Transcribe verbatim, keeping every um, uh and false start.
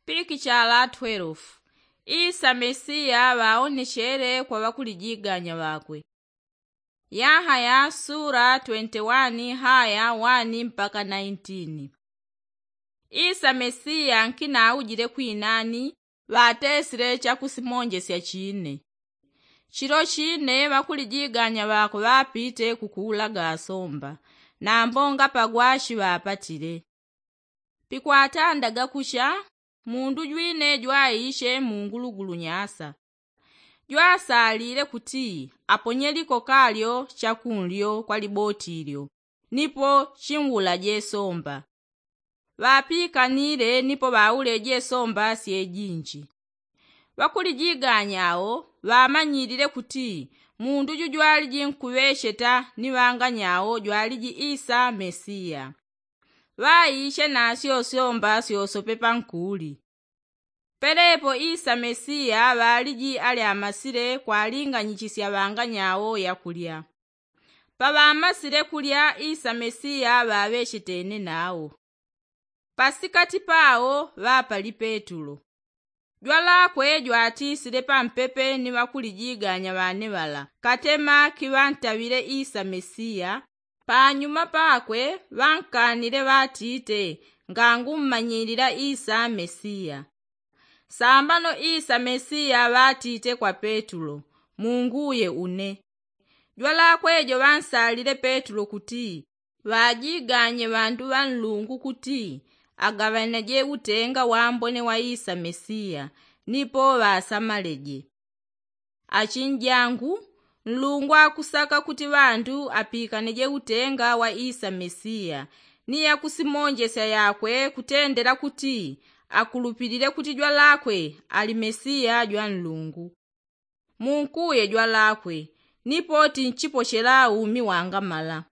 Pikichala twelve. Isa mesiya ŵaonechele kwa ŵakulijiganya ŵakwe. Yahaya sura twenti wani haya wani mpaka naintini. Isa mesiya nkinaujile kwinani ŵatesile chakusimonjesya chine. Chilo chine ŵakulijiganya ŵakwe ŵapite kukuulaga asomba, nambo ngapagwa shiŵapatile. Pikwatandaga kucha, mundu jwine jwaiche mungulugulu nyasa. Jwasalile kuti aponye likokalyo chakunlyo kwa liboti lyo, nipo chinwulaje somba. Ŵapikanile nipo ŵauleje somba syejinji. Ŵakulijiganya ao ŵamanyilile kuti mundu jujwaliji nkuŵecheta ni ŵanganya ao jwaliji isa mesiya. Ŵaiche nasyo syomba syosope pankuli. Pelepo isa mesiya ŵaliji alyamasile kwalinganyichisya ŵanganya ao yakulya. Paŵamasile kulya isa mesiya ŵaŵechetene nao. Pasikati pao ŵapali petulo. Jwalakwe jwatisile pampepe ni ŵakulijiganya ŵane ŵala katema kiŵantaŵile isa mesiya. Panyuma pakwe ŵankanile ŵatite, ngangummanyilila isa mesiya. Sambano isa mesiya ŵatite kwa petulo, munguye une. Jwalakwe jo ŵansalile petulo kuti ŵajiganye ŵandu ŵa nlungu kuti agaŵanaje utenga wambone wa isa mesiya, nipo ŵasamaleje. Achinjangu, nlungu akusaka kuti ŵandu apikane je utenga wa isa mesiya, ni yakusimonjesya yakwe kutendela kuti akulupilile kuti jwalakwe ali mesiya jwa nlungu. Munkuye jwalakwe, nipo tinchipochela umi wangamala.